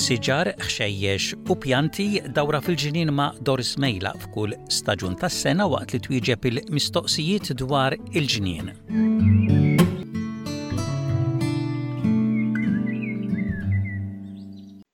Siġar, ħxejjex u pjanti dawra fil-ġnien ma' Doris Mejla f'kull staġun tas-sena waqt li twieġeb il-mistoqsijiet dwar il-ġnien.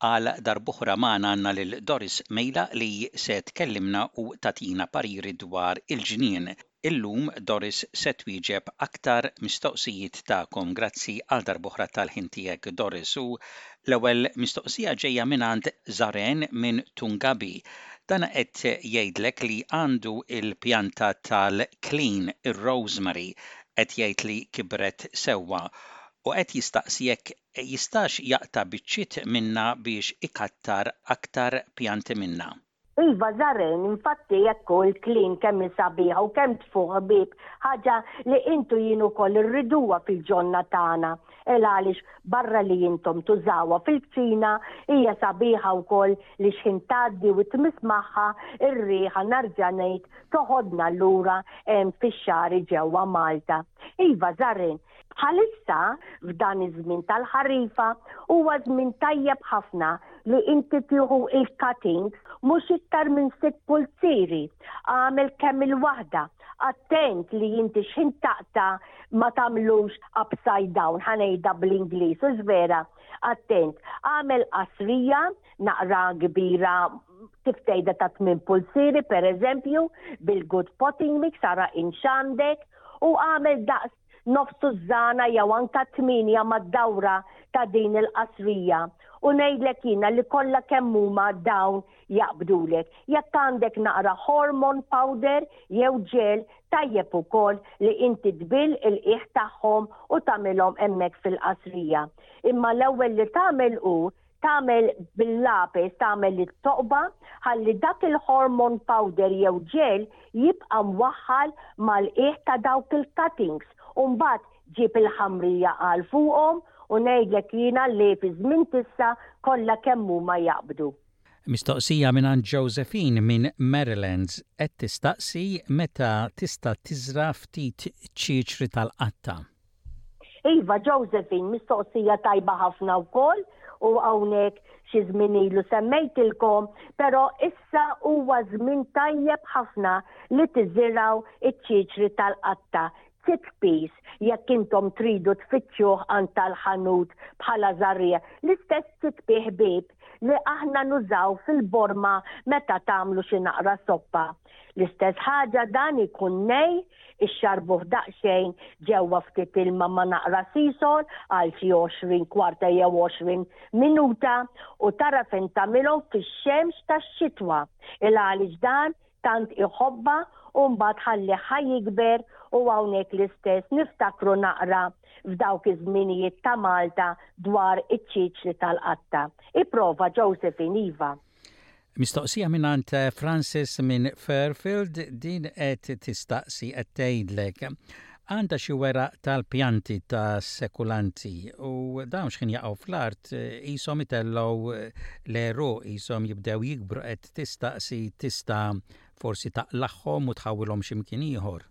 Għal darb'oħra magħna għandna lil Doris Mejla li se tkellimna u tagħtina pariri dwar il-ġnien. Illum Doris se twieġeb aktar mistoqsijiet tagħkom. Grazzi għal darb'oħra tal-ħin tiegħek Doris. U l-ewwel mistoqsija ġejja mingħand Zaren minn Tungabi. Dan qed jgħidlek li għandu l-pjanta tal-klin, ir-rosemary, qed jgħid li kibret sewwa u qed jistaqsi jekk jistax jaqta' biċċiet minnha biex ikattar aktar pjanti minnha. Iva Zaren, infatti hekk hu l-kliem kemm hi sabiħa u kemm tfuħ ħbieb, ħaġa li int u jien ukoll irriduha fil-ġonna tagħna. El għaliex barra li intom tużawha fil-kċina hija sabiħa wkoll li x'ħin tgħaddi u tmiss magħha r-riħa narġa' ngħid toħodna lura fix-xagħri ġewwa Malta. Iva Zaren, Bħalissa, f'dan iż-żmien tal-ħarifa, huwa żmien tajjeb ħafna li inti tieħu il-cuttings mhux iktar minn sitt pulzieri. Agħmel kemm il-waħda. Attent li inti x'ħin taqta' ma tagħmlux upside down, ħa ngħidha bl-Ingliż, hux vera? Attent. Agħmel qasrija naqra kbira kif tgħidha ta' tmien pulzieri pereżempju, bil-good potting mix ara int x'għandek u agħmel daqs nofs tużżana jew anka tmienja mad-dawra ta' din il-qasrija u ngħidlek jiena li kollha kemm huma dawn jaqbdulek. Jekk għandek naqra hormone powder jew ġel tajjeb ukoll li inti tbill il-qiegħ tagħhom u tagħmilhom hemmhekk fil-qasrija. Imma l-ewwel li tagħmel hu tagħmel bil-lapes tagħmel it-toqba ħalli dak il-hormone powder jew ġel jibqa' mwaħħal mal-qiegħ ta' dawk il-cuttings u mbagħad ġib il-ħamrija għal fuqhom u ngħidlek jiena li fi żmien t'issa kollha kemm huma jaqbdu. Mistoqsija mingħand Josephine minn Marylands qed tistaqsi meta tista' tiżra' ftit ċieċri tal-qatta. Iva, Josephine, mistoqsija tajba ħafna wkoll u hawnhekk xi żmien ilu semmejtilkom, però issa huwa żmien tajjeb ħafna li tiżirgħu iċ-ċiċri tal-qatta, chickpeas, jekk intom tridu tfittxuh għand tal-ħanut bħala żarriegħa. L-istess chickpea ħbieb li aħna nużaw fil-borma meta tagħmlu xi naqra soppa. L-istess ħaġa dan ikun nej, ixxarbuh daqsxejn ġewwa ftit ilma ma' naqra sisol għal xi 20 kwarta jew 20 minuta u tara fejn tagħmilhom fix-xemx tax-xitwa. Il għaliex dan tant iħobbha u mbagħad ħallih ħa jikber u hawnhekk l-istess niftakru naqra f'dawk iż-żminijiet ta' Malta dwar iċ-ċiċri tal-qatta. Ipprova Josephine iva. Mistoqsija mingħand eh, Francis minn Fairfield din qed tistaqsi qed tgħidlek għandha xi weraq tal-pjanti ta' sekulanti u dawn x'ħin jaqgħu fl-art eh, qishom itellgħu eh, l-għeruq qishom jibdew jikbru qed tistaqsi tista' forsi taqlagħhom u tħawwilhom xi mkien ieħor.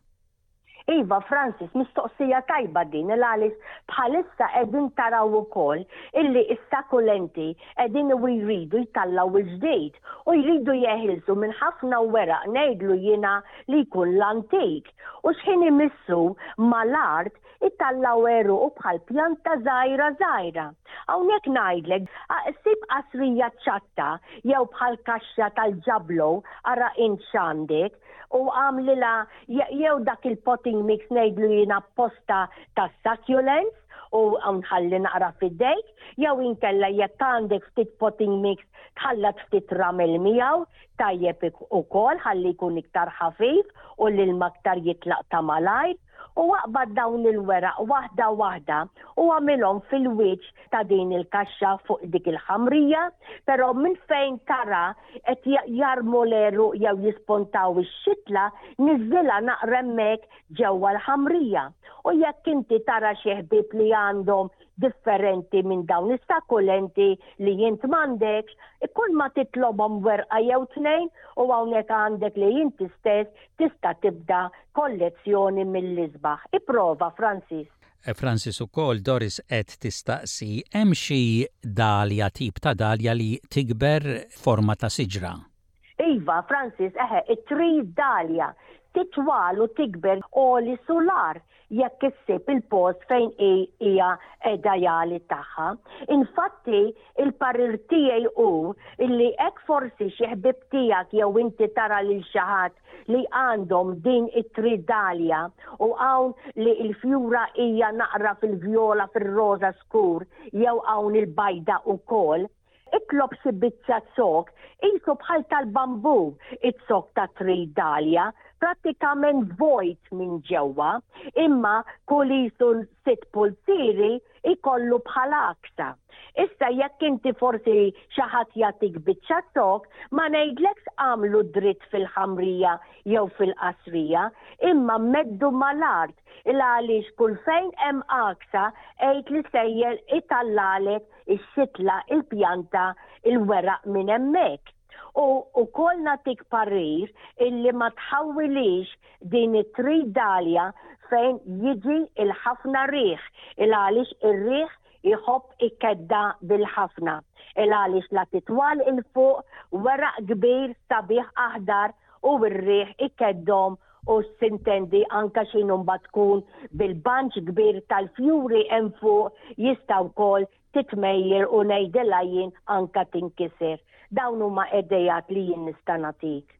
Iva Francis, mistoqsija tajba din il għaliex bħalissa qegħdin taraw ukoll illi s-sakulenti qegħdin u jridu jtallgħu il-ġdid u jridu jeħilsu minn ħafna weraq ngħidlu jiena li jkun l-antik u x'ħin imissu mal-art itallgħu għeruqu bħal pjanta żgħira żgħira. Hawnhekk ngħidlek, sib qasrija ċatta jew bħal kaxxa tal-ġablow ara int x'għandek u għamlilha jew dak il-potting mix ngħidlu jien apposta tas-succulents u nħalli naqra f'idejk, jew inkella jekk għandek ftit potting mix tħallat ftit ramel miegħu, tajjeb ukoll ħalli jkun iktar ħafif u l-ilma aktar jitlaq ta' malajr. U aqbad dawn il-weraq waħda waħda u agħmilhom fil-wiċċ ta' din il-kaxxa fuq dik il-ħamrija, però minn fejn tara qed jarmu l-għeruq jew jispontaw ix-xitla, niżżilha naqra hemmhekk ġewwa l-ħamrija. U jekk inti tara xi ħbieb li għandhom. differenti minn dawn is-sakkulenti li int m'għandekx, kull ma titlobhom werqa jew tnejn u hawnhekk għandek li inti stess tista' tibda kollezzjoni mill-isbaħ. Ipprova, Francis. Francis ukoll Doris qed tistaqsi hemm xi dahlia tip ta' dahlia li tikber forma ta' siġra? Iva, Francis, eħe, it-tree dahlia titwal u tikber għoli sular jekk issib il-post fejn hi hija qiegħda jagħli tagħha. Infatti, il-parir tiegħi hu illi hekk forsi xi ħbieb tiegħek jew inti tara lil xi ħadd li għandhom din it-tree dahlia u hawn li l-fjura hija naqra fil-vjola fir-roża skur jew hawn il-bajda ukoll, Itlob xi biċċa zokk, qisu bħal tal-bambù, iz-zokk ta' Tree Dahlia, prattikament vojt minn ġewwa, imma kull qisu sitt pulzieri jkollu bħal għaksa. Issa jekk inti forsi xi ħadd jagħtik biċċa zokk, ma ngħidlekx agħmlu dritt fil-ħamrija jew fil-qasrija, imma meddu mal-art, il-għaliex kull fejn hemm għaksa għid li sejjer itallagħlek ix-xitla, il-pjanta, il-weraq minn hemmhekk. U wkoll nagħtik parir illi ma tħawwilix din it-tridalja fejn jiġi il-ħafna riħ, il għaliex ir-riħ jħobb ikedda bil-ħafna. Il għaliex la titwal 'il fuq weraq kbir sabiħ aħdar u r-riħ ikeddhom u sintendi anka x'inhu mbagħad tkun bil-banċ kbir tal-fjuri hemm fuq jista' wkoll titmejjer u ngħidilha jien anka tinkiser. Dawn huma idejat li jien nista' nagħtik.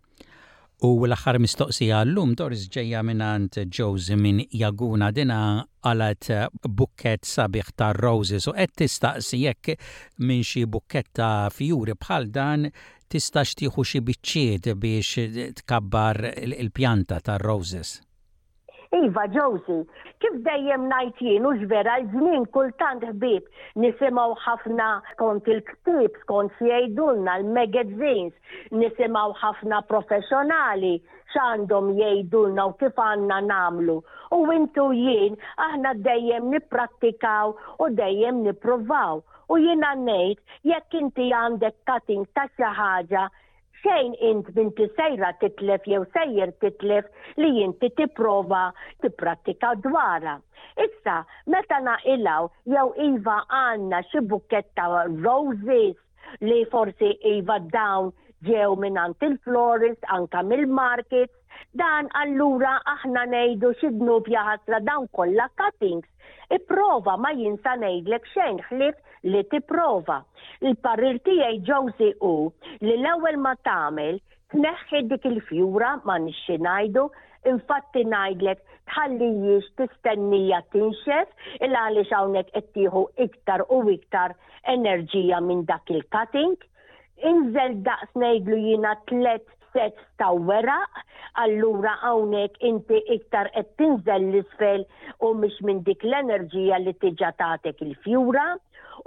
U l-aħħar mistoqsija għal-lum Doris ġejja mingħand Josie minn Jaguna dina qalgħet bukkett sabiħ ta' roses u qed tistaqsi jekk minn xi bukkett ta' fjuri bħal dan Tistax tieħu xi biċċiet biex tkabbar il-pjanta tar-roses? Iva, Josie, kif dejjem ngħid jien hux vera l-ġnien kultant ħbieb nisimgħu ħafna skont il-ktieb, skont x'jgħidulna l-magazines, nisimgħu ħafna professjonali x'għandhom jgħidulna u kif għandna nagħmlu. U intu jien aħna dejjem nipprattikaw u dejjem nippruvaw. U jiena ngħid, jekk inti għandek cutting ta' xi ħaġa, xejn int m'inti sejra titlef jew sejjer titlef li inti tipprova tipprattika dwarha. Issa, meta naqilgħu jew iva għandna xi bukkett ta' roses li forsi iva dawn ġew mingħand il-florist, anka mill-markets, Dan allura aħna ngħidu xi dnub jaħasra dawn kollha cuttings. Ipprova ma jien sa ngħidlek xejn ħlief li tipprova. Il-parir tiegħi Josie hu li l-ewwel ma tagħmel tneħħi dik il-fjura ma nix xi ngħidu, infatti ngħidlek tħallijiex tistennija tinxef il għaliex hawnhekk qed tieħu iktar u iktar enerġija minn dak il-cutting. Inżel daqs ngħidlu jiena tlett sets ta' weraq, allura hawnhekk inti iktar qed tinżel 'l isfel u mhix minn dik l-enerġija li diġà tatek il-fjura.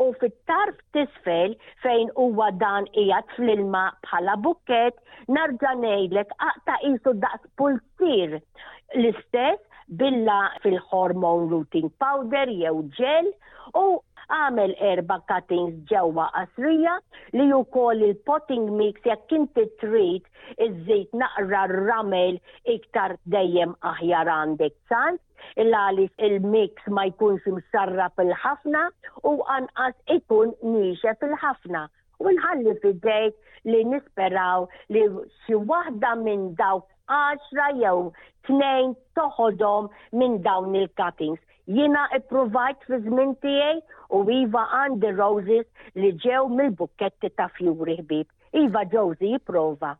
U fit-tarf t'isfel fejn huwa dan qiegħed fl-ilma bħala bukkett, narġa' ngħidlek aqta' qisu daqs pulzier l-istess billa fil-hormone rooting powder jew gel u għamel erba' cuttings ġewwa qasrija li wkoll il-potting mix jekk inti trid iżżid naqra ramel iktar dejjem aħjar għandek ċans il għaliex il-mix ma jkunx imxarrab il-ħafna u anqas ikun niexef il-ħafna. U nħalli f'idejk li nisperaw li xi waħda minn dawk għaxra jew tnejn toħodhom minn dawn il-cuttings. Jiena ippruvajt fi żmien tiegħi u iva għandi roses li ġew mill-bukketti ta' fjuri ħbieb. Iva Josie jipprova.